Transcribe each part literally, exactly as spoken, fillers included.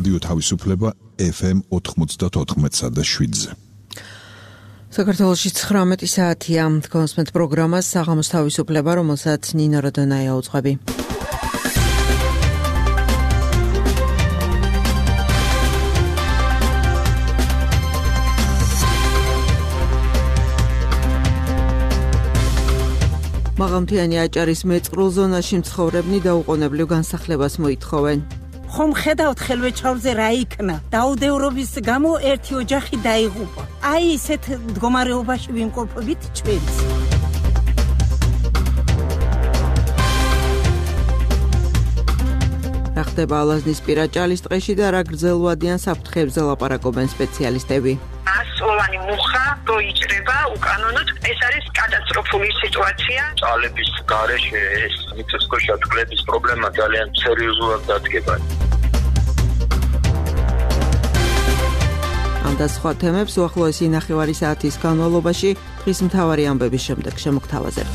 რადიო თავისუფლება ეფ ემ ოთხმოცდაოთხ და შვიდზე. საქართველოში ცხრამეტი საათია. კონსმეთ პროგრამას საღამოს თავისუფლება, რომელსაც ნინო როდონაია უძღვები. მაღალმთიანი აჭარის მეწყრულ ზონაში მცხოვრებნი დაუყოვნებლივ განსახლებას მოითხოვენ. ხომ ხედავთ ხელვეჩაურზე რა იქნა? დაუდევრობის გამო ერთი ოჯახი დაიღუპა. აი ისეთ მდგომარეობაში ვიმყოფებით ჩვენც. რა ხდება ალაზნის პირა ჭალის ტყეში და რა გრძელვადიან საფრთხეებზე ლაპარაკობენ სპეციალისტები. ასწლოვანი მუხა როიჭრება უკანონოდ, ეს არის კატასტროფული სიტუაცია. ჭალების გარეშე ეს მიწისქვეშა წყლების პრობლემა ძალიან სერიოზულად დადგება. ამ და სხვა თემებს უახლოესი ნახევარი საათის განმავლობაში დღის მთავარი ამბების შემდეგ შემოგთავაზებთ.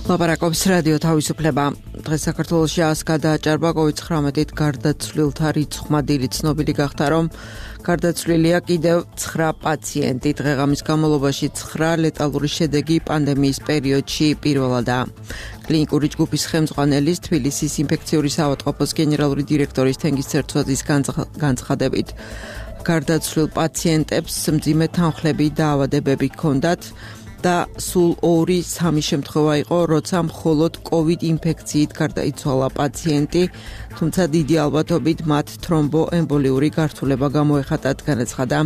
ლაპარაკობს რადიო თავისუფლება. დღეს საქართველოში ას გადააჭარბა კოვიდ ცხრამეტით გარდაცვლილთა რიცხვმა. დილით ცნობილი გახდა, რომ გარდაცვლილია კიდევ ცხრა პაციენტი. დღეღამის განმავლობაში ცხრა ლეტალური შედეგი პანდემიის პერიოდში პირველადაა. კლინიკური ჯგუფის ხელმძღვანელის, თბილისის ინფექციური საავადმყოფოს გენერალური დირექტორის თენგიზ ცერცვაძის განცხადებით, გარდაცვლილ პაციენტებს მძიმე თანხლები და ავადებები ჰქონდათ და სულ ორი სამი შემთხვევა იყო, როცა მხოლოდ კოვიდ ინფექციით გარდაიცვალა პაციენტი, თუმცა დიდი ალბათობით მათ თრომბოემბოლიური გართულება გამოეხატათ, განაცხადა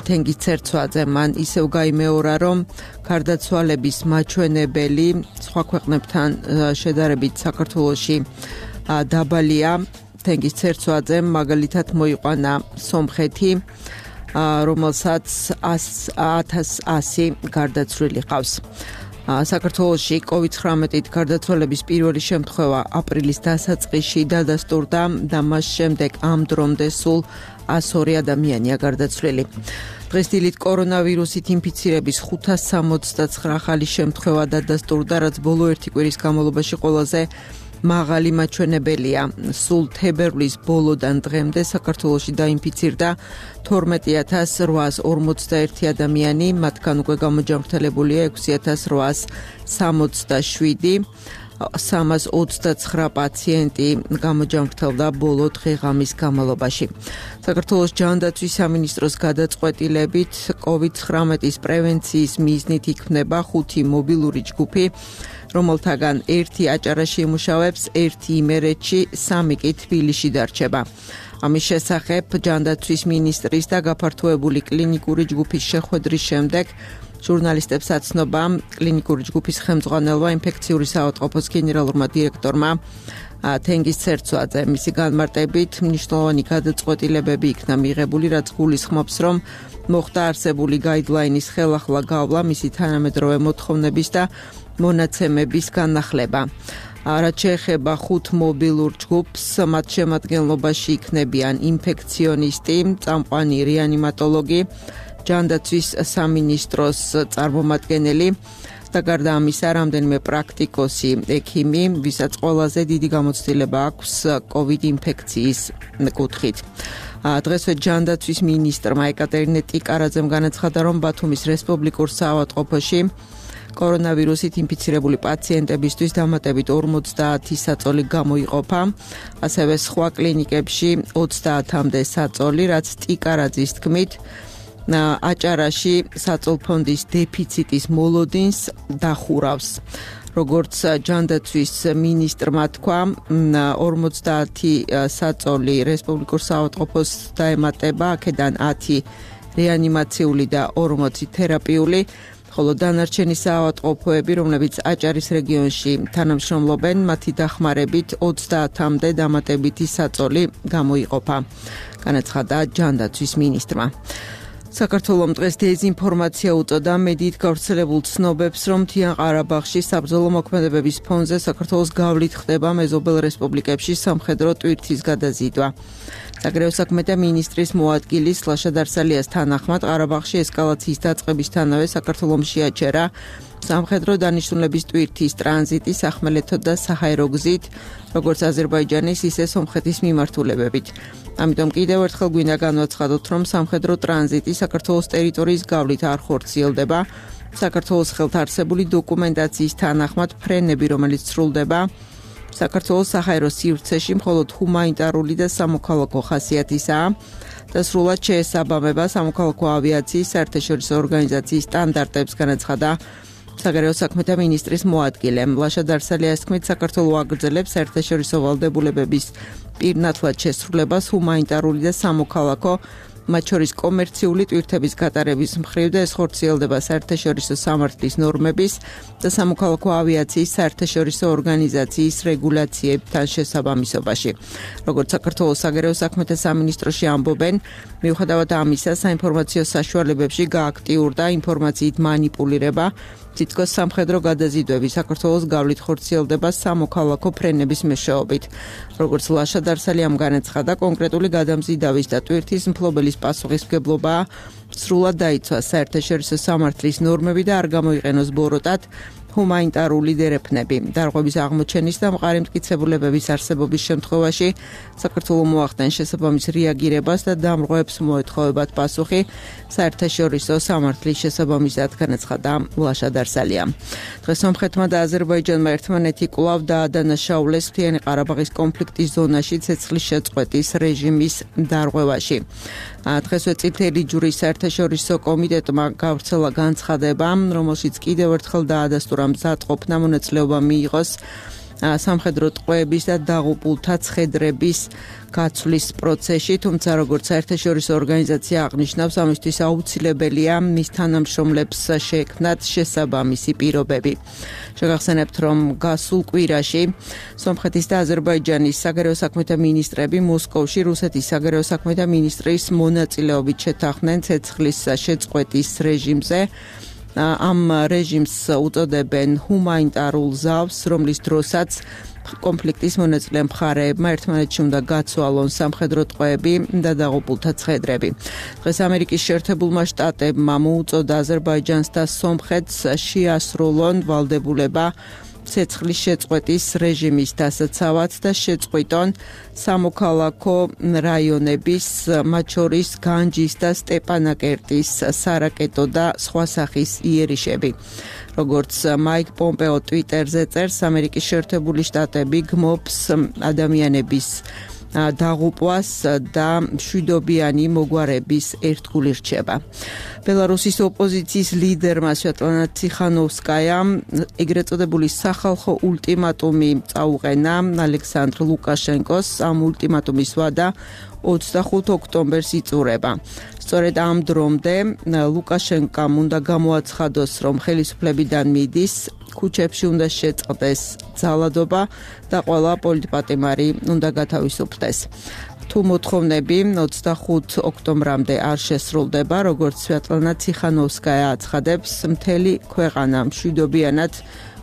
თენგიზ ცერცვაძე. მან ისევ გაიმეორა, რომ გარდაცვალების მაჩვენებელი სხვა ქვეყნებთან შედარებით საქართველოში დაბალია. თენგიზ ცერცვაძემ მაგალითად მოიყვანა სომხეთი, რომელსაც ათას ასი გარდაცვლილი ყავს. საქართველოში კოვიდ ცხრამეტით გარდაცვალების პირველი შემთხვევა აპრილის დასაწყისში დადასტურდა და მას შემდეგ ამ დრომდე სულ ას ორი ადამიანია გარდაცვლილი. დღეს დილით კორონავირუსით ინფიცირების ხუთას სამოცდაცხრა ახალი შემთხვევა დადასტურდა, რაც ბოლო ერთი კვირის განმავლობაში ყველაზე მაღალი მაჩვენებელია. სულ თებერვლის ბოლოდან დღემდე საქართველოში დაინფიცირდა თორმეტი ათას რვაას ორმოცდაერთი ადამიანი, მათგან უკვე გამოჯანმრთელებულია ექვსი ათას რვაას სამოცდაშვიდი, სამას ოცდაცხრა პაციენტი გამოჯანმრთელდა ბოლო დღეღამის განმავლობაში. საქართველოს ჯანდაცვის სამინისტროს გადაწყვეტილებით კოვიდ ცხრამეტის პრევენციის მიზნით იქმნება ხუთი მობილური ჯგუფი, რომელთაგან ერთი აჭარაში იმუშავებს, ერთი იმერეთში, სამი კი თბილისში დარჩება. ამის შესახებ ჯანდაცვის მინისტრის და გაფართოებული კლინიკური ჯგუფის შეხვედრის შემდეგ ჟურნალისტებს აცნობა კლინიკური ჯგუფის ხელმძღვანელმა ინფექციური საავადმყოფოს გენერალურმა დირექტორმა თენგიზ ცერცვაძე. მისი განმარტებით მნიშვნელოვანი გადაწყვეტილებები იქნა მიღებული, რაც გულისხმობს, რომ მოხდა არსებული გაიდლაინის ხელახლა გავლა მისი თანამედროვე მოთხოვნების და მონაცემების განახლება. რაც შეეხება ხუთ მობილურ ჯგუფს, მათ შემადგენლობაში იქნებიან ინფექციონისტი, წამყვანი რეანიმატოლოგი, ჯანდაცვის სამინისტროს წარმომადგენელი და გარდა ამისა რამდენიმე პრაქტიკოსი ექიმი, ვისაც ყველაზე დიდი გამოცდილება აქვს კოვიდ ინფექციის კუთხით. დღესვე ჯანდაცვის მინისტრმა ეკატერინე ტიკარაძემ განაცხადა, რომ ბათუმის რესპუბლიკურ საავადმყოფოში კორონავირუსით ინფიცირებული პაციენტებისთვის დამატებით ორმოცდაათი საწოლი გამოიყოფა, ასევე სხვა კლინიკებში ოცდაათამდე საწოლი, რაც ტიკარაძის თქმით აჭარაში საწოლფონდის დეფიციტის მოლოდინს დახურავს. როგორც ჯანდაცვის მინისტრმა თქვა, ორმოცდაათი საწოლი რესპუბლიკურ საავადმყოფოს დაემატება, აქედან ათი რეანიმაციული და ორმოცი თერაპიული, ხოლო დანარჩენი საავადმყოფოები, რომლებიც აჭარის რეგიონში თანამშრომლობენ, მათი დახმარებით ოცდაათამდე დამატებითი საწოლი გამოიყოფა, განაცხადა ჯანდაცვის მინისტრმა. საქართველოს დღეს დეзინფორმაცია უწოდა მედიით გავრცელებულ ცნობებს, რომ მთიან ყარაბაღში საბრძოლო მოქმედებების ფონზე საქართველოს გავლით ხდება მეზობელ რესპუბლიკებში სამხედრო ტვირთის გადაზიდვა. საგარეო საქმეთა მინისტრის მოადგილის ლაშა დარსალიას თანახმად ყარაბაღში ესკალაციის დაწყებისთანავე საქართველოს შეაჩერა სამხედრო დანიშნულების ტვირთის ტრანზიტი სახმელეთო და საჰაერო გზით, როგორც აზერბაიჯანის, ისე სომხეთის მიმართულებებით. ამიტომ კიდევ ერთხელ გვინდა განვაცხადოთ, რომ სამხედრო ტრანზიტი საქართველოს ტერიტორიის გავლით არ ხორციელდება. საქართველოს ხელთარსებული დოკუმენტაციის თანახმად ფრენები, რომელიც სრულდება საქართველოს საჰაერო სივრცეში, მხოლოდ ჰუმანიტარული და სამოქალაქო ხასიათისაა და სრულად შეესაბამება სამოქალაქო ავიაციის საერთაშორისო ორგანიზაციის სტანდარტებს, განაცხადა საგარეო საქმეთა მინისტრის მოადგილემ. ლაშა დარსალიას თქმით, საქართველო აგრძელებს საერთაშორისო ვალდებულებების პირნათლად შესრულებას ჰუმანიტარული და სამოქალაქო, მათ შორის კომერციული ტვირთების გატარების მხრივ და ეს ხორციელდება საერთაშორისო სამართლის ნორმების და სამოქალაქო ავიაციის საერთაშორისო ორგანიზაციის რეგულაციებთან შესაბამისობაში. როგორც საქართველოს საგარეო საქმეთა სამინისტროში ამბობენ, მიუხედავად ამისა, საინფორმაციო საშუალებებში გააქტიურდა ინფორმაციით მანიპულირება. თითქოს სამხედრო გადაზიდვები საქართველოს გავლით ხორციელდება სამოქალაქო ფრენების მეშვეობით. როგორც ლაშა დარსალიამ განაცხადა, კონკრეტული გადამზიდავის და ტვირთის მფლობელის პასუხისმგებლობა სრულად დაიცვა საერთაშორისო სამართლის ნორმები და არ გამოიყენოს ბოროტად ჰუმანიტარული დერეფნები. დარღვევის აღმოჩენის და მყარი მტკიცებულებების არსებობის შემთხვევაში საქართველოს მოახდენ შესაბამის რეაგირებას და დამრღვევებს მოეთხოვებათ პასუხი საერთაშორისო სამართლის შესაბამისად, განაცხადა ლაშა დარსალია. დღეს სომხეთმა და აზერბაიჯანმა ერთმანეთი კვლავ დაადანაშაულეს მთიანი ყარაბაღის კონფლიქტის ზონაში ცეცხლის შეწყვეტის რეჟიმის დარღვევაში. დღესვე წითელი ჯვრის საერთაშორისო კომიტეტმა გავრცელა განცხადება, რომელშიც კიდევ ერთხელ დაადასტურა მზადყოფნა მონაწილეობა მიიღოს სამხედრო ტყვეების და დაღუპულთა ცხედრების გაცვლის პროცესში, თუმცა როგორც საერთაშორისო ორგანიზაცია აღნიშნავს, ამისთვის აუცილებელია მის თანამშრომლებს შეექმნათ შესაბამისი პირობები. შეგახსენებთ, რომ გასულ კვირაში სომხეთის და აზერბაიჯანის საგარეო საქმეთა მინისტრები მოსკოვში რუსეთის საგარეო საქმეთა მინისტრის მონაწილეობით შეთანხმდნენ ცეცხლის შეწყვეტის რეჟიმზე. ამ რეჟიმს უწოდებენ ჰუმანიტარულ ზავს, რომლის დროსაც კონფლიქტის მონაწილე მხარეებმა ერთმანეთში უნდა გაცვალონ სამხედრო ტყვეები და დაღუპულთა ცხედრები. დღეს ამერიკის შეერთებულმა შტატებმა მოუწოდა აზერბაიჯანს და სომხეთს შეასრულონ ვალდებულება ცეცხლის შეწყვეტის რეჟიმის დასაცავად და შეწყვიტონ სამოქალაქო რაიონების, მათ შორის განჯის და სტეპანაკერტის სარაკეტო და სხვა სახის იერიშები. როგორც მაიკ პომპეო ტვიტერზე წერს, ამერიკის შეერთებული შტატები გმობს ადამიანების დაღუპვას და მშვიდობიანი მოგვარების ერთგული რჩება. ბელარუსის ოპოზიციის ლიდერმა სვეტლანა ციხანოვსკაიამ ეგრეთ წოდებული სახალხო ულტიმატუმი წაუყენა ალექსანდრ ლუკაშენკოს. ამ ულტიმატუმის ვადა ოცდახუთი ოქტომბერს იწურება. სწორედ ამ დრომდე ლუკაშენკამ უნდა გამოაცხადოს, რომ ხელისუფლებიდან მიდის, ქუჩებში უნდა შეწყდეს ძალადობა და ყველა პოლიტპატიმარი უნდა გათავისუფლდეს. თუ მოთხოვნები ოცდახუთი ოქტომბრამდე არ შესრულდება, როგორც სვეტლანა ციხანოვსკაია აცხადებს, მთელი ქვეყანა მშვიდობიანად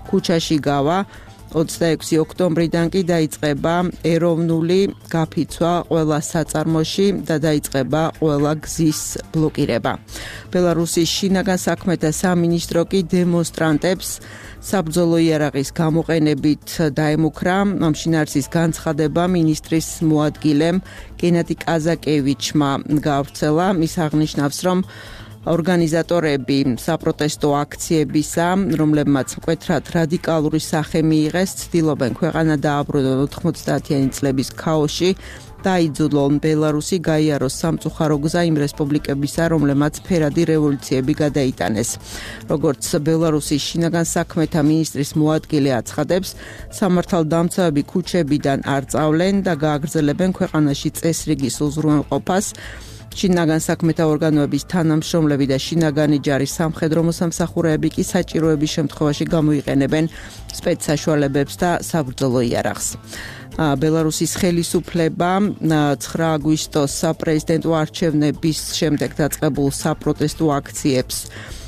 ქუჩაში გავა. ოცდაექვსი ოქტომბრიდან კი დაიწყება ეროვნული გაფიცვა ყველა საწარმოში და დაიწყება ყველა გზის ბლოკირება. ბელარუსის შინაგან საქმეთა სამინისტრო კი დემონსტრანტებს საბრძოლო იარაღის გამოყენებით დაემუქრა. ამ შინაარსის განცხადება მინისტრის მოადგილემ გენადი კაზაკევიჩმა გავრცელა. ის აღნიშნავს, რომ ორგანიზატორები საპროტესტო აქციებისა, რომლებმაც მკვეთრად რადიკალური სახე მიიღეს, ცდილობენ ქვეყანა დააბრუნონ ოთხმოცდაათიანი წლების ქაოსში და აიძულონ ბელარუსი გაიაროს სამწუხარო გზა იმ რესპუბლიკებისა, რომლებმაც ფერადი რევოლუციები გადაიტანეს. როგორც ბელარუსის შინაგან საქმეთა მინისტრის მოადგილე აცხადებს, სამართალდამცავები ქუჩებიდან არ წავლენ და გააგრძელებენ ქვეყანაში წესრიგის უზრუნველყოფას. შინაგან საქმეთა ორგანოების თანამშრომლები და შინაგანი ჯარის სამხედრო მოსამსახურეები კი საჭიროების შემთხვევაში გამოიყენებენ სპეცსაშუალებებს და საბრძოლო იარაღს. ბელარუსის ხელისუფლება ცხრა აგვისტოს საპრეზიდენტო არჩევნების შემდეგ დაწყებულ საპროტესტო აქციებს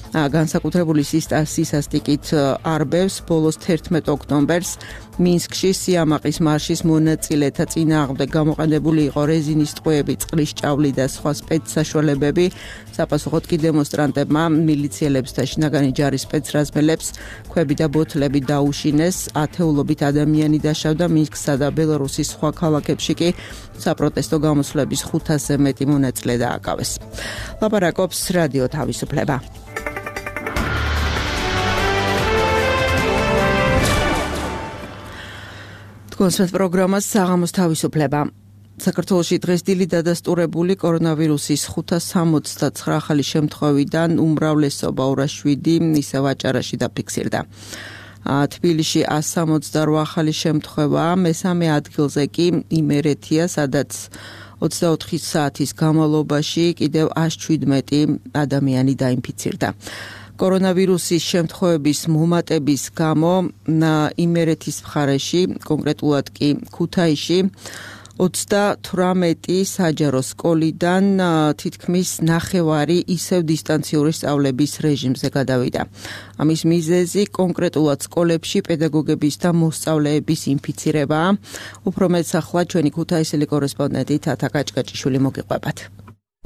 განსაკუთრებული სისასტიკით არბევს. ბოლოს თერთმეტ ოქტომბერს მინსკში სიამაყის მარშის მონაწილეთა წინააღმდეგ გამოყენებული იყო რეზინის ტყვეები, წყლის ჭავლი და სხვა სპეცსაშუალებები. საპასუხოდ კი დემონსტრანტებმა მილიციელებს და შინაგანი ჯარის სპეცრაზმელებს ქვები და ბოთლები დაუშინეს. ათეულობით ადამიანი დაშავდა. მინსკსა და ბელარუსის სხვა ქალაქებში კი საპროტესტო გამოსვლების ხუთასზე მეტი მონაწილე დააკავეს. ლაპარაკობს რადიო თავისუფლება. კონსერტ პროგრამას საღამოს თავისუფლება. საქართველოში დღეს დილით დადასტურებული კორონავირუსის ხუთას სამოცდაცხრა ახალი შემთხვევიდან უმრავლესობა ორას შვიდი ისევ აჭარაში დაფიქსირდა. თბილისში ასი სამოცდარვა ახალი შემთხვევა, მესამე ადგილზე კი იმერეთია, სადაც ოცდაოთხი საათის განმავლობაში კიდევ ას შვიდმეტი ადამიანი დაინფიცირდა. კორონავირუსის შემთხვევების მომატების გამო იმერეთის მხარეში, კონკრეტულად კი ქუთაისში, ოცდათვრამეტი საჯარო სკოლიდან თითქმის ნახევარი ისევ დისტანციური სწავლების რეჟიმზე გადავიდა. ამის მიზეზი კონკრეტულად სკოლებში პედაგოგების და მოსწავლეების ინფიცირებაა. უფრო მეტს ახლა ჩვენი ქუთაისელი კორესპონდენტი თათა კაჭკაჭიშვილი მოგიყვებათ.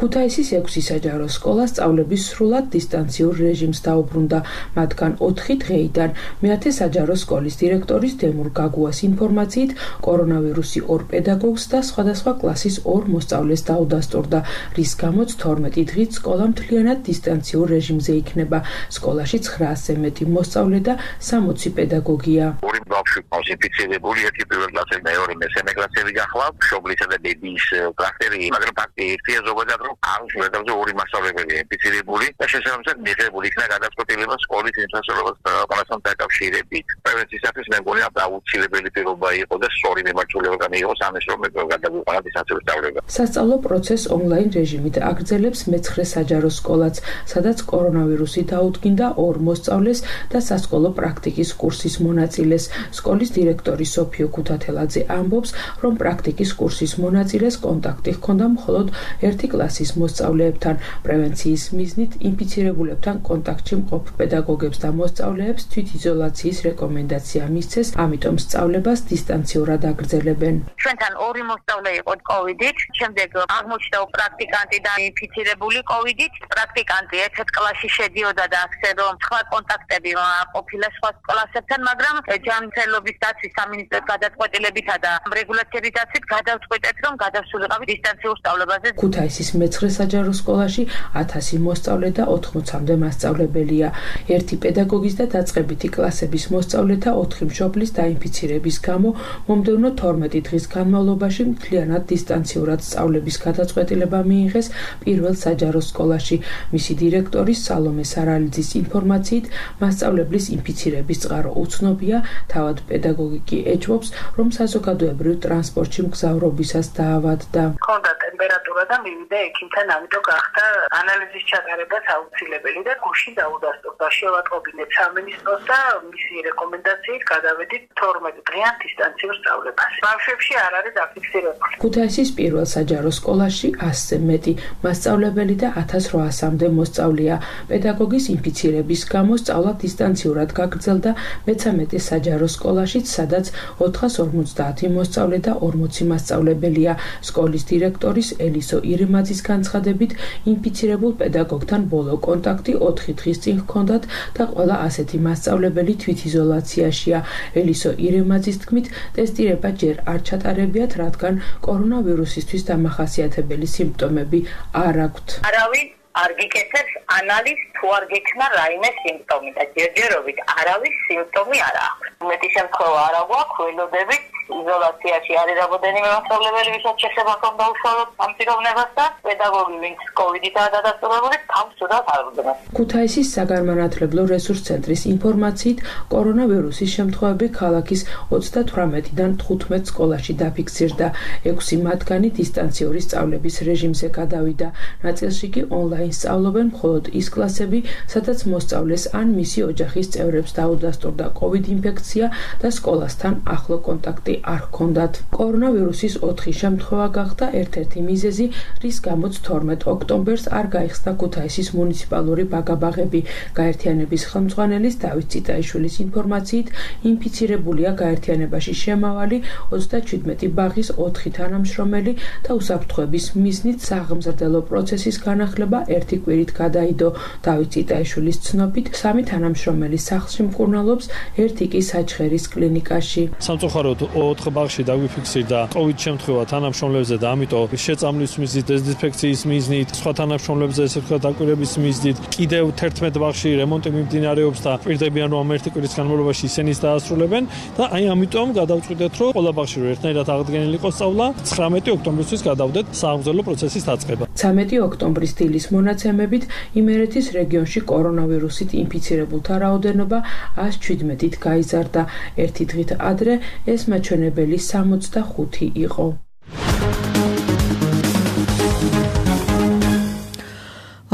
ქუთაისის ექვსი საჯარო სკოლა სწავლების სრულად დისტანციურ რეჟიმს დაუბრუნდა, მათგან ოთხი დღეიდან. მეათე საჯარო სკოლის დირექტორის დემურ გაგუას ინფორმაციით, კორონავირუსი ორ პედაგოგს და სხვადასხვა კლასის ორ მოსწავლეს დაუდასტურდა, რის გამოც თორმეტი დღით სკოლა მთლიანად დისტანციურ რეჟიმზე იქნება. სკოლაში ცხრაასზე მეტი მოსწავლე და სამოცი პედაგოგია. ორი ბავშვი ინფიცირებული, ერთი პირველ კლასელი, მეორე მესამე კლასელი გახლავთ, მშობლისა და ბებიის კლასტერი, მაგრამ ფაქტი ერთია ზოგადად ამ შემთხვევაში ორი მასწავლებელი ინფიცირებული და შესაბამისად მიღებული იქნა გადაწყვეტილება სკოლის ინფრასტრუქტურის ყველასთან დაკავშირებით. პრევენციისათვის მე მგონი აუცილებელი პირობა იყო და სწორი მიმართულება გამოიყო ამის რომ გადაგვიყვანა დისტანციური სწავლება. სასწავლო პროცესს ონლაინ რეჟიმით აგრძელებს მეცხრე საჯარო სკოლაც, სადაც კორონავირუსი დაუდგინდა ორ მოსწავლეს და სასკოლო პრაქტიკის კურსის მონაწილეს. სკოლის დირექტორი სოფიო ქუთათელაძე ამბობს, რომ პრაქტიკის კურსის მონაწილეს კონტაქტი ჰქონდა მხოლოდ ერთი კლასის მოსწავლეებთან. პრევენციის მიზნით ინფიცირებულებთან კონტაქტში მყოფ პედაგოგებს და მოსწავლეებს თვითიზოლაციის რეკომენდაცია მისცეს, ამიტომ სწავლებას დისტანციურად აგრძელებენ. ჩვენთან ორი მოსწავლე იყო კოვიდით, შემდეგ აღმოჩნდა პრაქტიკანტი და ინფიცირებული კოვიდით. პრაქტიკანტი ერთ-ერთ კლასში შედიოდა და ასე რომ სხვა კონტაქტები ყოფილა სხვა კლასებთან, მაგრამ ჯანმრთელობის დაცვის სამინისტროს გადაწყვეტილებითა და რეგულაციების დაცვით გადავწყვეტეთ, რომ გადავსულიყავით დისტანციურ სწავლებაზე. ქუთაისის მეცხრე საჯარო სკოლაში ათასი მოსწავლე და ოთხმოცამდე მასწავლებელია. ერთი პედაგოგის და დაწყებითი კლასების მოსწავლეთა ოთხი მშობლის დაინფიცირების გამო მომდევნო თორმეტი დღის განმავლობაში მთლიანად დისტანციურად სწავლების გადაწყვეტილება მიიღეს პირველ საჯარო სკოლაში. მისი დირექტორის სალომე სარალიძის ინფორმაციით, მასწავლებლის ინფიცირების წყარო უცნობია, თავად პედაგოგი კი ეჭვობს, რომ საზოგადოებრივ ტრანსპორტში მგზავრობისას დაავადდა. ქონდა ტემპერატურა და მივიდა ექიმთან, ამიტომ გახდა ანალიზის ჩატარებაც აუცილებელი და გუში დაუდასტურდა. შევატყობინეთ სამინისტროს და მისი რეკომენდაციით გადავედით თორმეტ დღიან დისტანციურ სწავლებას. ბავშვებში არ არის დაფიქსირებული. ქუთაისის პირველ საჯარო სკოლაში ასზე მეტი მასწავლებელი და ათას რვაასამდე მოსწავლეა. პედაგოგის ინფიცირების გამო სწავლა დისტანციურად გაგრძელდა მეცამეტე საჯარო სკოლაშიც, სადაც ოთხას ორმოცდაათი მოსწავლე და ორმოცი მასწავლებელია. სკოლის დირექტორის ელისო ირემაძის განცხადებით, ინფიცირებულ პედაგოგთან ბოლო კონტაქტი ოთხი დღის წინ ჰქონდათ და ყველა ასეთი მასწავლებელი თვითიზოლაციაშია. ელისო ირემაძის თქმით, ტესტირება ჯერ არ ჩატარებიათ, რადგან კორონავირუსისთვის დამახასიათებელი სიმპტომები არ აქვთ. არავინ არ გიკეთებს ანალიზს თუ არ გექნა რაიმე სიმპტომი და ჯერჯერობით არავის სიმპტომი არ აქვს. მეტი შემთხვევა არ აქვს, ველოდებით იზოლაციაში არის რამოდენიმე მასწავლებელი, ვისაც შესაძლოა ჰქონდა უშუალოდ ამ პიროვნებას და პედაგოგი, ვინც კოვიდითაა დადასტურებული, თავს ცუდად არ უდმეს. ქუთაისის საგანმანათლებლო რესურს ცენტრის ინფორმაციით, კორონავირუსის შემთხვევები ქალაქის ოცდათვრამეტიდან თხუთმეტ სკოლაში დაფიქსირდა. ექვსი მათგანი დისტანციური სწავლების რეჟიმზე გადავიდა. ნაწილში კი ონლაინ სწავლობენ მხოლოდ ის კლასები, სადაც მოსწავლეს ან მისი ოჯახის წევრებს დაუდასტურდა კოვიდ ინფექცია და სკოლასთან ახლო კონტაქტი არ ჰქონდათ. კორონავირუსის ოთხი შემთხვევა გახდა ერთ-ერთი მიზეზი, რის გამოც თორმეტ ოქტომბერს არ გაიხსნა ქუთაისის მუნიციპალური ბაგაბაღები. გაერთიანების ხელმძღვანელის დავით ციტაიშვილის ინფორმაციით, ინფიცირებულია გაერთიანებაში შემავალი ოცდაჩვიდმეტი ბაღის ოთხი თანამშრომელი და უსაფრთხოების მიზნით საღმზრდელო პროცესის განახლება ერთი კვირით გადაიდო. დავით ციტაიშვილის ცნობით, სამი თანამშრომელი სახლში მკურნალობს, ერთი კი საჩხერის კლინიკაში. სამწუხაროდ ოთხ ბაღში დაგვიფიქსირდა COVID შემთხვევა თანამშრომლებზე და ამიტომ შეწამლის მიზნით, დეზინფექციის მიზნით, სხვა თანამშრომლებზე ესე ვთქვათ დაკვირვების მიზნით, კიდევ თერთმეტ ბაღში რემონტი მიმდინარეობს და პირდებიან რომ ერთი კვირის განმავლობაში ისინიც დაასრულებენ და აი ამიტომ გადავწყვიტეთ რომ ყველა ბაღში რომ ერთნაირად აღდგენილი იყოს სწავლა, ცხრამეტი ოქტომბრისთვის გადავდეთ სააღმზრდელო პროცესის დაწყება. ცამეტი ოქტომბრის დილის მონაცემებით იმერეთის რეგიონში კორონავირუსით ინფიცირებულთა რაოდენობა ას შვიდმეტით გაიზარდა. ერთი დღით ადრე ეს მაჩვენებელი სამოცდახუთი იყო.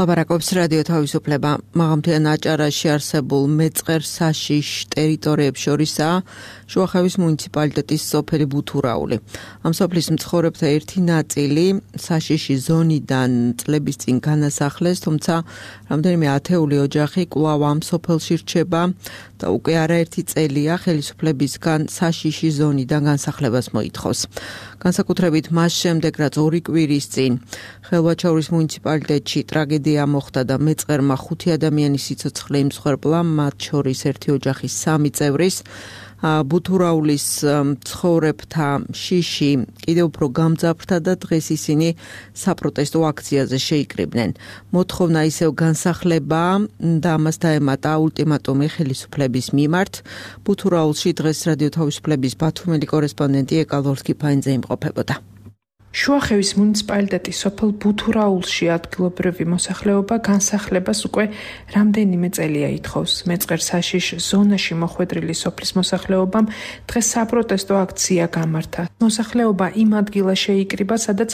ლაპარაკობს რადიო თავისუფლება. მაღალმთიან აჭარაში არსებულ მეწყერ საშიშ ტერიტორიებს შორისაა შუახევის მუნიციპალიტეტის სოფელი ბუთურაული. ამ სოფლის მცხოვრებთა ერთი ნაწილი საშიში ზონიდან წლების წინ განასახლეს, თუმცა რამდენიმე ათეული ოჯახი კვლავ ამ სოფელში რჩება და უკვე არაერთი წელია ხელისუფლებისგან საშიში ზონიდან განსახლებას მოითხოვს. განსაკუთრებით მას შემდეგ, რაც ორი კვირის წინ ხელვაჩაურის მუნიციპალიტეტში ტრაგედია მოხდა და მეწყერმა ხუთი ადამიანის სიცოცხლე იმსხვერპლა, მათ შორის ერთი ოჯახის სამი წევრის, ბუთურაულის მცხოვრებთა შიში კიდევ უფრო გამძაფრდა და დღეს ისინი საპროტესტო აქციაზე შეიკრიბნენ. მოთხოვნა ისევ განსახლება და ამას დაემატა ულტიმატუმი ხელისუფლების მიმართ. ბუთურაულში დღეს რადიო თავისუფლების ბათუმელი კორესპონდენტი ეკალორს კიფაინძე იმყოფებოდა. შუახევის მუნიციპალიტეტის სოფელ ბუთურაულში ადგილობრივი მოსახლეობა განსახლებას უკვე რამდენიმე წელია ითხოვს. მეწყერ საშიშ ზონაში მოხვედრილი სოფლის მოსახლეობამ დღეს საპროტესტო აქცია გამართა. მოსახლეობა იმ ადგილას შეიკრიბა, სადაც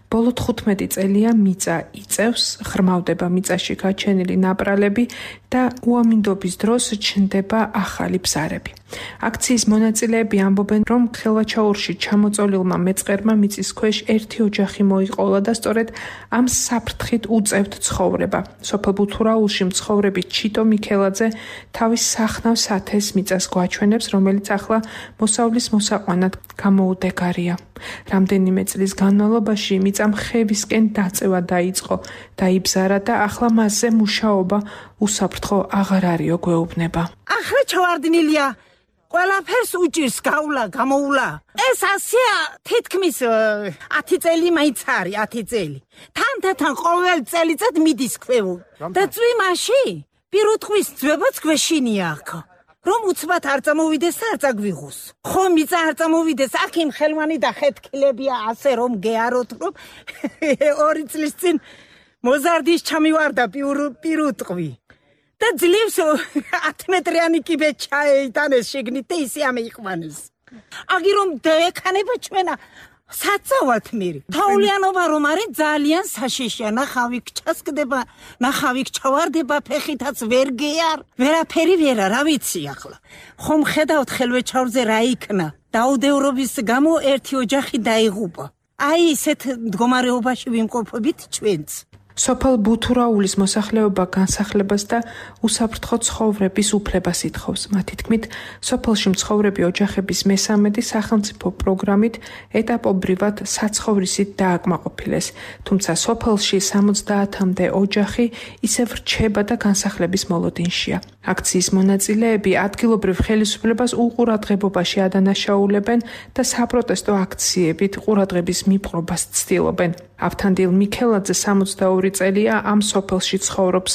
ბოლო თხუთმეტი წელია მიწა იწევს, ხრმავდება მიწაში გაჩენილი ნაპრალები და უამინდობის დროს ჩნდება ახალი ბზარები. აქციის მონაწილეები ამბობენ, რომ ხელვაჩაურში ჩამოწოლილმა მეწყერმა მიწის ქვეშ ერთი ოჯახი მოიყოლა და სწორედ ამ საფრთხით უწევთ ცხოვრება. სოფელ ბუთურაულში მცხოვრები ჩიტო მიქელაძე თავის სახნავ სათეს მიწას გვაჩვენებს, რომელიც ახლა მოსავლის მოსაყვანად გამოუდეგარია. რამდენიმე წლის განმავლობაში მიწამ ხევისკენ დაწევა დაიწყო, დაიბზარა და ახლა მასზე მუშაობა უსაფრთხო აღარ არისო გვეუბნება. ახლა ჩავარდნილია ყველაფერს უჭირს გავლა, გამოულა. ეს ასია თითქმის ათი წელი მაინც არის, ათი წელი. თანდათან ყოველ წელიწად მიდის ქვევო. და წვიმაში პირუტყვის ძვებაც გვეშინია აქ. რომ უცბად არ წამოვიდეს და არ წაგვიღოს. ხო მიწა არ წამოვიდეს, აქ იმ ხელმანი და ხეთქილებია ასე რომ გეაროთ, რომ ორი წლის წინ მოზარდის ჩამივარდა პირუტყვი. და ძლივს ათი მეტრიანი კიბე ჩაეიტანეს შიგნით და ისე ამეიყვანეს. აგი რომ დაექანება ჩვენა საწავად მირი. თაულიანობა რომ არის ძალიან საშიშია, ნახავი ჩასკდება, ნახავი ჩავარდება, ფეხითაც ვერ გეარ, ვერაფერი ვერა, რა ვიცი ახლა. ხომ ხედავთ ხელვეჩაურზე რა იქნა. დაუდევრობის გამო ერთი ოჯახი დაიღუპა. აი ესეთ მდგომარეობაში ვიმყოფებით ჩვენც. სოფელ ბუთურაულის მოსახლეობა განსახლებას და უსაფრთხო ცხოვრების უფლებას ითხოვს. მათი თქმით, სოფელში მცხოვრები ოჯახების მესამედი სახელმწიფო პროგრამით ეტაპობრივად საცხოვრისით დააკმაყოფილეს, თუმცა სოფელში სამოცდაათამდე ოჯახი ისევ რჩება და განსახლების მოლოდინშია. აქციის მონაწილეები ადგილობრივ ხელისუფლებას უყურადღებობაში ადანაშაულებენ და საპროტესტო აქციებით ყურადღების მიპყრობას ცდილობენ. ავთანდილ მიქელაძე სამოცდაორი წელია ამ სოფელში ცხოვრობს.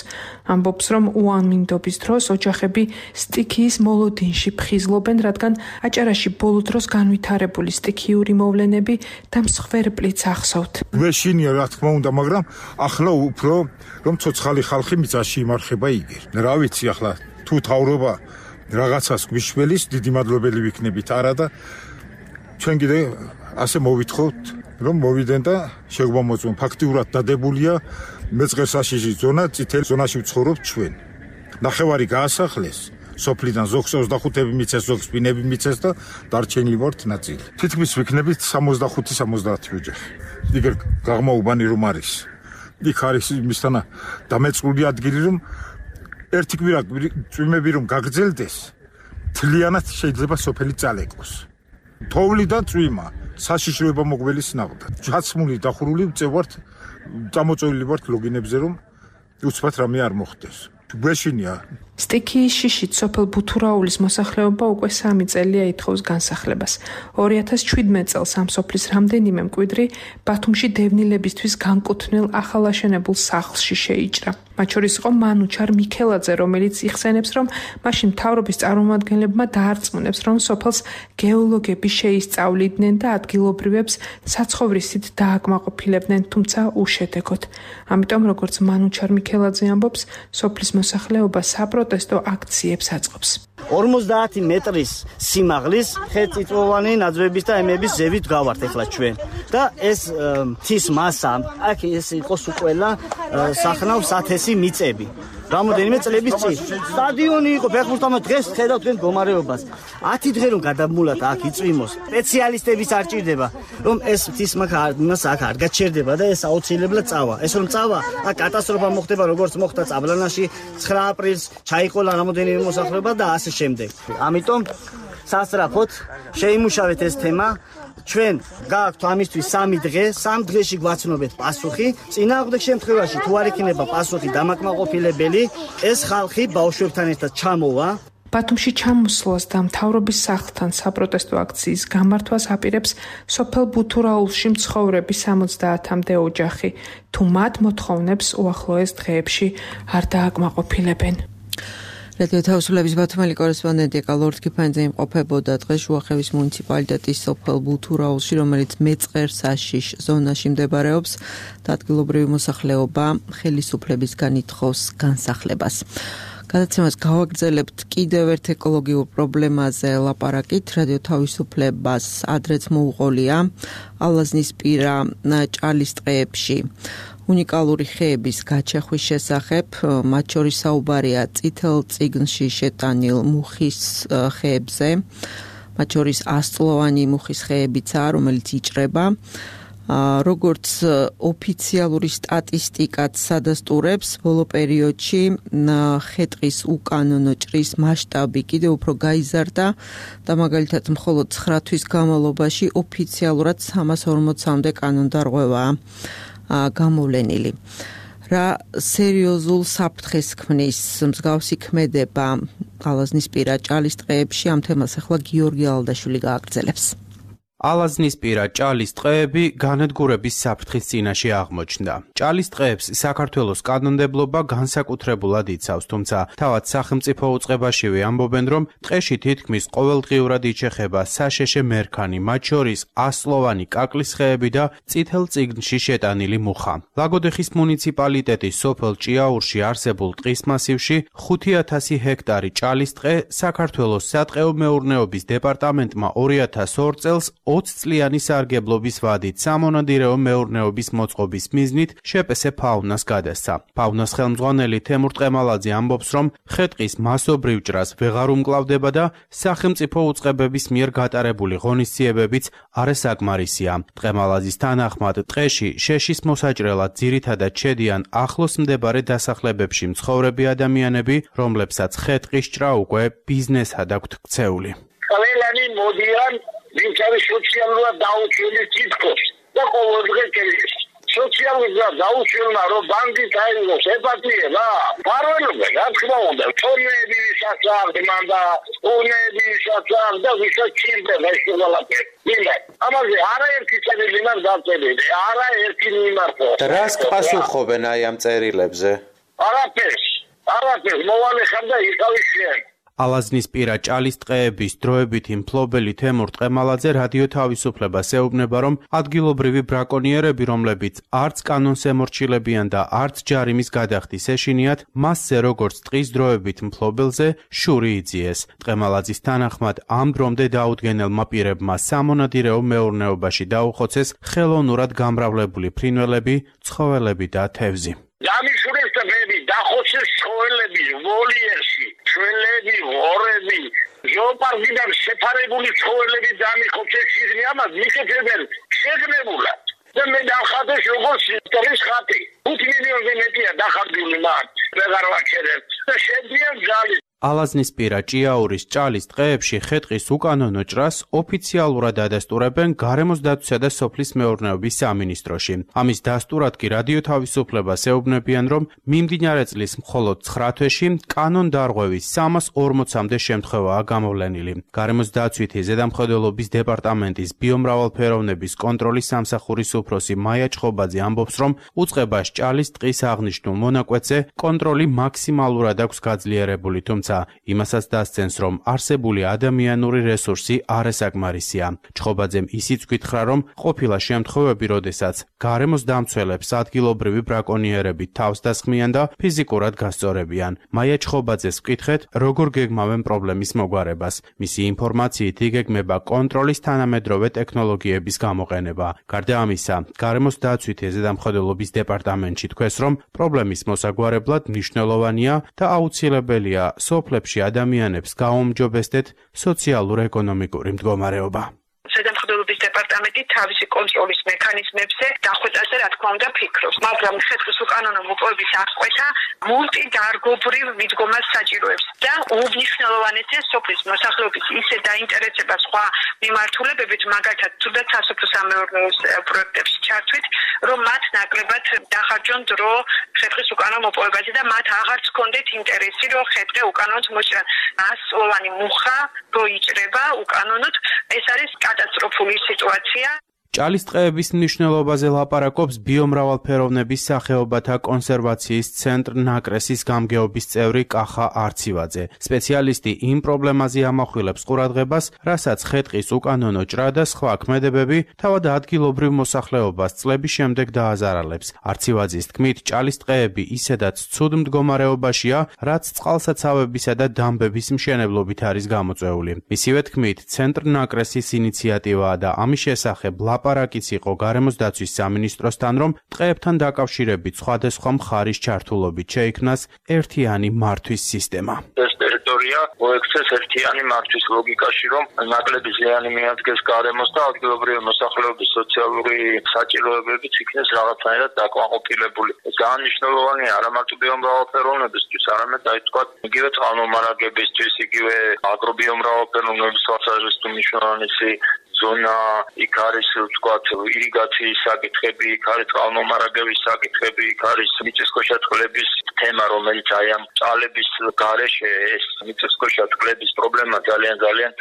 ამბობს, რომ უამინდობის დროს ოჯახები სტიქიის მოლოდინში ფხიზლობენ, რადგან აჭარაში ბოლო დროს განვითარებული სტიქიური მოვლენები და მსხვერპლიც ახსოვთ. გვეშინია რა თქმა უნდა, მაგრამ ახლა უფრო რომ ცოცხალი ხალხი მიწაში იმარხება იგერ. რა ვიცი ახლა თუ თავრობა რაღაცას გვიშველის, დიდი მადლობელი ვიქნებით არა და ჩვენ კიდე ასე მოვითხოვთ რომ მოვიდენ და შეგვამოწმონ. ფაქტიურად დადებულია მეწყერ საშიში ზონა, წითელ ზონაში ვცხოვრობ ჩვენ. ნახევარი გაასახლეს, სოფლიდან ზოგს ოცდახუთები მიცეს, ზოგს ბინები მიცეს და დარჩენილი ვართ ნაწილი. თითქმის ვიქნებით სამოცდახუთი სამოცდაათი ოჯახი. იგერ გაღმაუბანი რომ არის. იქ არის იმისთანა დამეწყული ადგილი რომ ერთი კვირა წვიმები რომ გაგრძელდეს, თლიანად შეიძლება სოფელი წალეკოს. თოვლი და წვიმა, საშიშროება მოგველის ნაღდა. ჩაცმული დახურული წევართ, წამოწოლილი ვართ ლოგინებზე რომ უცბად რამე არ მოხდეს. გვეშინია. სტიქიის შიშით სოფელ ბუთურაულის მოსახლეობა უკვე სამი წელია ითხოვს განსახლებას. ორი ათას შვიდმეტ წელს ამ სოფლის რამდენიმე მკვიდრი ბათუმში დევნილებისთვის განკუთვნილ ახალაშენებულ სახლში შეიჭრა. მათ შორის იყო მანუჩარ მიქელაძე, რომელიც იხსენებს, რომ მაშინ მთავრობის წარმომადგენლებმა დაარწმუნებს, რომ სოფელს გეოლოგები შეისწავლიდნენ და ადგილობრივებს საცხოვრისით დააკმაყოფილებდნენ, თუმცა უშედეგოდ. ამიტომ, როგორც მანუჩარ მიქელაძე ამბობს, სოფლის მოსახლეობა საპროტესტო აქციებს აწყობს. ორმოცდაათი მეტრის სიმაღლის ხეთწიწვოვანი ნაძვების და ემების ზევით გავართ ახლა ჩვენ და ეს მთის მასა აქ ეს იყოს უკველა სახნავს ათასი მიწები. რამოდენიმე წლების წინ სტადიონი იყო ფეხბურთმა დღეს ხედავთ თქვენ მდგომარეობას. ათი დღე რომ გადამულად აქ იწვიმოს, სპეციალისტების არ ჭირდება, რომ ეს მთის მას აქ არ გაჩერდება და ეს აუცილებლად წავა. ეს რომ წავა, აქ კატასტროფა მოხდება, როგორც მოხდა წაბლანაში ცხრა აპრილს, ჩაიყოლა რამოდენიმე მოსახლეობა და ასე შემდეგ. ამიტომ სასწრაფოდ შეიმუშავეთ ეს თემა. ჩვენ გააქვთ ამისთვის სამი დღე, სამ დღეში გვაცნობეთ პასუხი. წინააღმდეგ შემთხვევაში თუ არ იქნება პასუხი დამაკმაყოფილებელი, ეს ხალხი ბავშვებთან ერთად ჩამოვა. ბათუმში ჩამოსვლას და მთავრობის სახლთან საპროტესტო აქციის გამართვას აპირებს სოფელ ბუთურაულში მცხოვრები სამოცდაათამდე ოჯახი, თუ მათ მოთხოვნებს უახლოეს დღეებში არ დააკმაყოფილებენ. რადიო თავისუფლების ბათუმელი კორესპონდენტი ეკალორდ კიფანიძე იმყოფებოდა დღეს შუახევის მუნიციპალიტეტის სოფელ ბუთურაულში, რომელიც მეწყერ-საშიშ ზონაში მდებარეობს და ადგილობრივი მოსახლეობა ხელისუფლებისგან ითხოვს განსახლებას. გადაცემას გავაგრძელებთ კიდევ ერთ ეკოლოგიურ პრობლემაზე ლაპარაკით. რადიო თავისუფლებას ადრეც მოუყოლია ალაზნისპირა ჭალის ტყეებში უნიკალური ხეების გაჩეხვის შესახებ, მათ შორის საუბარია წითელ წიგნში შეტანილ მუხის ხეებზე, მათ შორის ასწლოვანი მუხის ხეებიცაა, რომელიც იჭრება. როგორც ოფიციალური სტატისტიკაც სადასტურებს, ბოლო პერიოდში ხე-ტყის უკანონო ჭრის მასშტაბი კიდევ უფრო გაიზარდა და მაგალითად მხოლოდ ცხრა თვის განმავლობაში ოფიციალურად სამას ორმოცამდე კანონდარღვევაა გამოვლენილი. რა სერიოზულ საფრთხეს ქმნის მსგავსი ქმედება ალაზნისპირა ჭალის ტყეებში, ამ თემას ახლა გიორგი ალდაშვილი გააგრძელებს. ალაზნისპირა ჭალის ტყეები განადგურების საფრთხის წინაშე აღმოჩნდა. ჭალის ტყეებს საქართველოს კანონმდებლობა განსაკუთრებულად იცავს, თუმცა თავად სახელმწიფო უწყებაშივე ამბობენ, რომ ტყეში თითქმის ყოველდღიურად იჩეხება საშეშე მერქანი, მათ შორის ასწლოვანი კაკლის ხეები და წითელ წიგნში შეტანილი მუხა. ლაგოდეხის მუნიციპალიტეტის სოფელ ჭიაურში არსებულ ტყის მასივში ხუთი ათასი ჰექტარი ჭალის ტყე საქართველოს სატყეო მეურნეობის დეპარტამენტმა ორი ათას ორ წელს ოცი წლიანი სარგებლობის ვადით სამონადირეო მეურნეობის მოწყობის მიზნით შეპესე ფაუნას გადასცა. ფაუნას ხელმძღვანელი თემურ ტყემალაძე ამბობს, რომ ხე-ტყის მასობრივ ჭრას ვეღარ უმკლავდება და სახელმწიფო უწყებების მიერ გატარებული ღონისძიებებიც არასაკმარისია. ტყემალაძის თანახმად ტყეში შეშის მოსაჭრელად ძირითადად შედიან ახლოს მდებარე დასახლებებში მცხოვრები ადამიანები, რომლებსაც ხე-ტყის ჭრა უკვე ბიზნესად აქვთ ქცეული. ყველანი მოდიან ვინცარი სოციალურად დაუჩვენის თითქოს და ყოველდღე კელის. სოციალურად დაუჩვენა რომ ბანკი დაიღოს ეპატიება. პარველობენ, რა თქმა უნდა, თორმეები საწარდმან და უნები საწარდ და ვისაც ჭირდება ეს ყველაფერი. მინდა, ამაზე არაერთი წერილი მაქვს დაწერილი, არაერთი მიმართო. რას პასუხობენ აი ამ წერილებზე? არაფერს, არაფერს მოვალე ხარ და იყავი შენ. ალაზნისპირა ჭალის ტყეების დროებითი მფლობელი თემურ ტყემალაძე რადიო თავისუფლებას ეუბნება, რომ ადგილობრივი ბრაკონიერები, რომლებიც არც კანონს ემორჩილებიან და არც ჯარიმის გადახდის ეშინიათ, მასზე როგორც ტყის დროებით მფლობელზე შური იძიეს. ტყემალაძის თანახმად ამ დრომდე დაუდგენელმა პირებმა სამონადირეო მეურნეობაში დაუხოცეს ხელოვნურად გამრავლებული ფრინველები, ცხოველები და თევზი. დამიშურეს და მე დახოცეს ცხოველები ვოლიერში. ჩვენები, ღორები, ზოოპარკიდან შეფარებული ცხოველები დამიხობს ეს სიზმე ამას მიხეთებენ შეგნებულად. და მე დავხატეს როგორც ისტორიის ხატი. ხუთი მილიონზე მეტია დახარჯული მათ. ვეღარ ვაჩერებ. და შედიან ძალით. ალაზნისპირა ჭიაურის ჭალის ტყეებში ხე-ტყის უკანონო ჭრას ოფიციალურად ადასტურებენ გარემოს დაცვისა და სოფლის მეურნეობის სამინისტროში. ამის დასტურად კი რადიო თავისუფლებას ეუბნებიან, რომ მიმდინარე წლის მხოლოდ ცხრა თვეში კანონდარღვევის სამას ორმოცამდე შემთხვევაა გამოვლენილი. გარემოს დაცვითი ზედამხედველობის დეპარტამენტის ბიომრავალფეროვნების კონტროლის სამსახურის უფროსი მაია ჩხობაძე ამბობს, რომ უწყებას ჭალის ტყის აღნიშნულ მონაკვეთზე კონტროლი მაქსიმალურად აქვს გაძლიერებული, თუმცა იმასაც დასცენს, რომ არსებული ადამიანური რესურსი არასაკმარისია. ჩხობაძემ ისიც გითხრა, რომ ყოფილა შემთხვევები, როდესაც გარემოს დამცველებს ადგილობრივი ბრაკონიერები თავს დასხმიან და ფიზიკურად გასწორებიან. მაია ჩხობაძეს ვკითხეთ, როგორ გეგმავენ პრობლემის მოგვარებას. მისი ინფორმაციით იგეგმება კონტროლის თანამედროვე ტექნოლოგიების გამოყენება. გარდა ამისა, გარემოს დაცვითი ზედამხედველობის დეპარტამენტში თქვეს, რომ პრობლემის მოსაგვარებლად მნიშვნელოვანია და აუცილებელია სოფლებში ადამიანებს გაუმჯობესდეთ სოციალურ-ეკონომიკური მდგომარეობა. ზედამხედველობის დეპარტამენტი თავისი კონტროლის მექანიზმებზე დახვეწაზე რა თქმა უნდა ფიქრობს, მაგრამ ხე-ტყის უკანონო მოპოვების აღკვეთა მულტიდარგობრივ მიდგომას საჭიროებს და უნიშნელოვანესია სოფლის მოსახლეობის ისე დაინტერესება სხვა მიმართულებებით, მაგალითად თუნდაც სასოფლო-სამეურნეო პროექტებში ჩართვით, რომ მათ ნაკლებად დახარჯონ დრო ხე-ტყის უკანონო მოპოვებაზე და მათ აღარც ჰქონდეთ ინტერესი, რომ ხე-ტყე უკანონოდ მოჭრან. ასწლოვანი მუხა რო იჭრება უკანონოდ, ეს არის კატასტროფული სიტუაცია. ჭალის ტყეების მნიშვნელობაზე ლაპარაკობს ბიომრავალფეროვნების სახეობათა კონსერვაციის ცენტრ ნაკრესის გამგეობის წევრი კახა არცივაძე. სპეციალისტი იმ პრობლემაზე ამახვილებს ყურადღებას, რასაც ხე-ტყის უკანონო ჭრა და სხვა ქმედებები თავად ადგილობრივ მოსახლეობას წლების შემდეგ დააზარალებს. არცივაძის თქმით, ჭალის ტყეები ისედაც ცუდ მდგომარეობაშია, რაც წყალსაცავებისა და დამბების მშენებლობით არის გამოწვეული. მისივე თქმით, ცენტრ ნაკრესის ინიციატივაა და ამის შესახებ ლაპარაკიც იყო გარემოს დაცვის სამინისტროსთან, რომ ტყეებთან დაკავშირებით სხვადასხვა მხარის ჩართულობით შეიქმნას ერთიანი მართვის სისტემა. ეს ტერიტორია მოექცეს ერთიანი მართვის ლოგიკაში, რომ ნაკლები ზიანი მიადგეს გარემოს და ადგილობრივი მოსახლეობის სოციალური საჭიროებებიც იქნეს რაღაცნაირად დაკმაყოფილებული. ეს ძალიან მნიშვნელოვანია არა მარტო ბიომრავალფეროვნებისთვის, არამედ აი თქვა იგივე წყალმომარაგებისთვის, იგივე აგრობიომრავალფეროვნების თვალსაზრისით მნიშვნელოვანი ზონა, იქ არის ვთქვათ ირიგაციის საკითხები, იქ არის წყალმომარაგების საკითხები, იქ არის მიწისქვეშა წყლების თემა, რომელიც აი ამ ჭალების გარეშე ეს მიწისქვეშა წყლების პრობლემა ძალიან ძალიან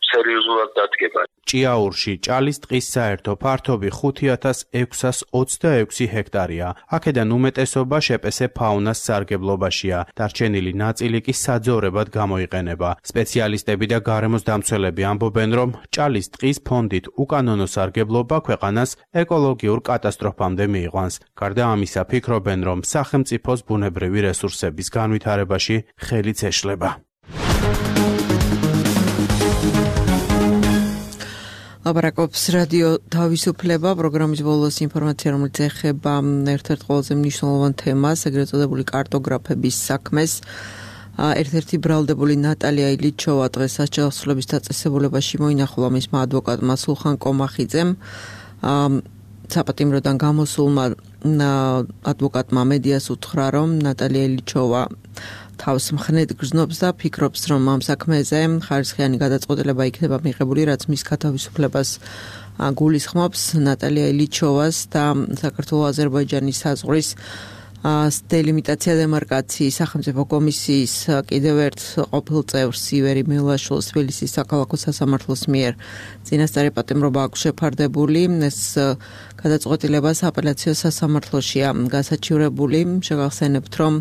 სერიოზულად დადგება. ჭიაურში ჭალის ტყის საერთო ფართობი ხუთი ათას ექვსას ოცდაექვსი ჰექტარია. აქედან უმეტესობა შეპესე ფაუნას სარგებლობაშია. დარჩენილი ნაწილი კი საძოვრებად გამოიყენება. სპეციალისტები და გარემოს დამცველები ამბობენ, რომ ჭალის ტყის ფონდით უკანონო სარგებლობა ქვეყანას ეკოლოგიურ კატასტროფამდე მიიყვანს. გარდა ამისა, ფიქრობენ, რომ სახელმწიფოს ბუნებრივი რესურსების განვითარებაში ხელიც ეშლება. ლაპარაკობს რადიო თავისუფლება, პროგრამის ბოლოს ინფორმაცია, რომელიც ეხება ერთ-ერთ ყველაზე მნიშვნელოვან თემას, ეგრეთ წოდებული კარტოგრაფების საქმეს. ერთ-ერთი ბრალდებული ნატალია ილიჩოვა დღეს სასჯელოსნობის დაწესებულებაში მოინახულა მისმა ადვოკატმა სულხან კომახიძემ. საპატიმროდან გამოსულმა ადვოკატმა მედიას უთხრა, რომ ნატალია ილიჩოვა თავს მხნედ გრძნობს და ფიქრობს, რომ ამ საქმეზე ხარისხიანი გადაწყვეტილება იქნება მიღებული, რაც მის გათავისუფლებას გულისხმობს. ნატალია ილიჩოვას და საქართველო-აზერბაიჯანის საზღვრის დელიმიტაცია დემარკაციის სახელმწიფო კომისიის კიდევ ერთ ყოფილ წევრს ივერი მელაშვილს თბილისის საქალაქო სასამართლოს მიერ წინასწარი პატიმრობა აქვს შეფარდებული. ეს გადაწყვეტილება სააპელაციო სასამართლოშია გასაჩივრებული. შეგახსენებთ, რომ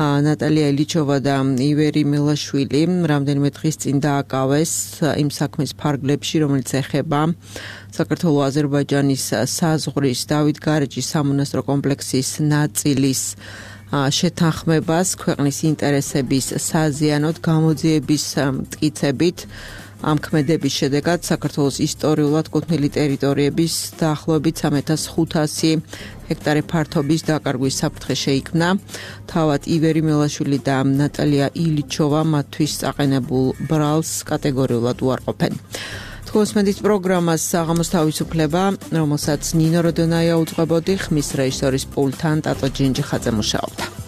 ნატალია ილიჩოვა და ივერი მელაშვილი რამდენიმე დღის წინ დააკავეს იმ საქმის ფარგლებში, რომელიც ეხება საქართველო-აზერბაიჯანის საზღვრის დავითგარეჯის სამონასტრო კომპლექსის ნაწილის შეთანხმებას ქვეყნის ინტერესების საზიანოდ გამოძიების მტკიცებით. ამ ქმედების შედეგად საქართველოს ისტორიულად კუთვნილი ტერიტორიების დაახლოებით სამი ათას ხუთასი ჰექტარი ფართობის დაკარგვის საფრთხე შეიქმნა. თავად ივერი მელაშვილი და ნატალია ილიჩოვა მათთვის წაყენებულ ბრალს კატეგორიულად უარყოფენ. თქოსმენდის პროგრამას საღამოს თავისუფლება, რომელსაც ნინო როდონაია უძღვებოდი, ხმის რეჟისორის პულტთან ტატო ჯინჯიხაძე მუშაობდა.